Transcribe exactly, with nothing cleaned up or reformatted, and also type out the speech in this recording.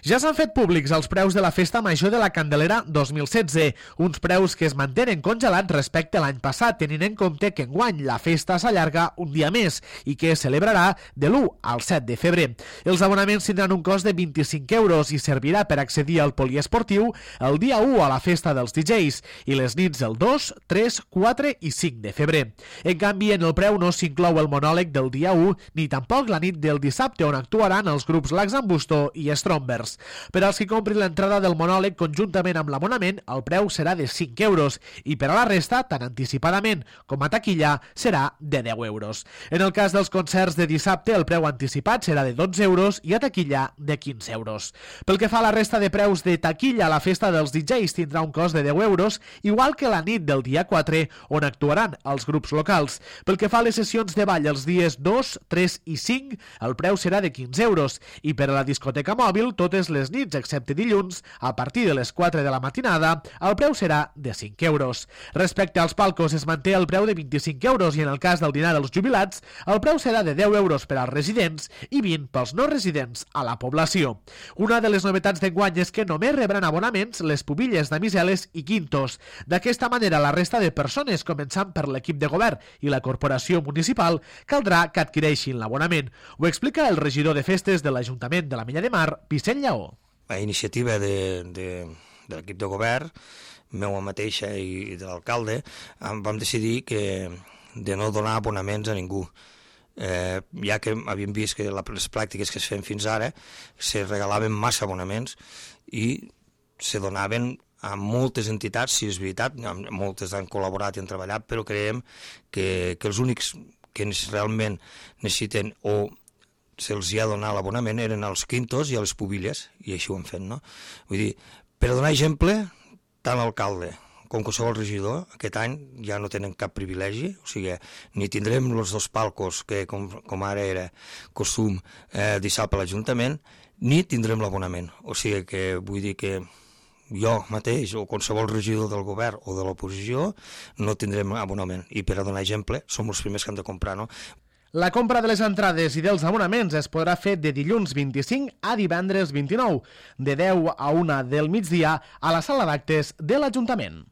Ja s'han fet públics els preus de la Festa Major de la Candelera dos mil setze, uns preus que es mantenen congelats respecte a l'any passat, tenint en compte que enguany la festa s'allarga un dia més i que es celebrarà de l'u al set de febrer. Els abonaments tindran un cost de vint-i-cinc euros i servirà per accedir al poliesportiu el dia u a la festa dels D Js i les nits el dos, tres, quatre i cinc de febrer. En canvi, en el preu no s'inclou el monòleg del dia u ni tampoc la nit del dissabte on actuaran els grups Laxambusto i Strombers. Per als que comprin l'entrada del monòleg conjuntament amb l'abonament, el preu serà de cinc euros i per a la resta, tant anticipadament com a taquilla, serà de deu euros. En el cas dels concerts de dissabte, el preu anticipat serà de dotze euros i a taquilla de quinze euros. Pel que fa a la resta de preus de taquilla, la festa dels D Js tindrà un cost de deu euros, igual que la nit del dia quatre, on actuaran els grups locals. Pel que fa a les sessions de ball els dies dos, tres i cinc, el preu serà de quinze euros i per a la discoteca mòbil, totes les nits, excepte dilluns, a partir de les quatre de la matinada, el preu serà de cinc euros. Respecte als palcos, es manté el preu de vint-i-cinc euros i en el cas del dinar dels jubilats, el preu serà de deu euros per als residents i vint pels no residents a la població. Una de les novetats d'enguany és que només rebran abonaments les pubilles, damiseles i quintos. D'aquesta manera, la resta de persones, començant per l'equip de govern i la corporació municipal, caldrà que adquireixin l'abonament. Ho explica el regidor de festes de l'Ajuntament de la Mella de Mar, Vicent Lleó. A iniciativa de, de, de l'equip de govern, meua mateixa i de l'alcalde, vam decidir que de no donar abonaments a ningú. Eh, ja que havíem vist que les pràctiques que es feien fins ara se regalaven massa abonaments i se donaven a moltes entitats, si és veritat, moltes han col·laborat i han treballat, però creiem que, que els únics que realment necessiten o se'ls ha donat l'abonament eren els quintos i a les pubilles, i així ho hem fet, no? Vull dir, per a donar exemple, tant l'alcalde com qualsevol regidor, aquest any ja no tenen cap privilegi, o sigui, ni tindrem els dos palcos, que com, com ara era costum, eh, dissabte a l'Ajuntament, ni tindrem l'abonament. O sigui que vull dir que jo mateix o qualsevol regidor del govern o de l'oposició no tindrem abonament. I per a donar exemple, som els primers que han de comprar, no? La compra de les entrades i dels abonaments es podrà fer de dilluns vint-i-cinc a divendres vint-i-nou, de deu a una del migdia a la sala d'actes de l'Ajuntament.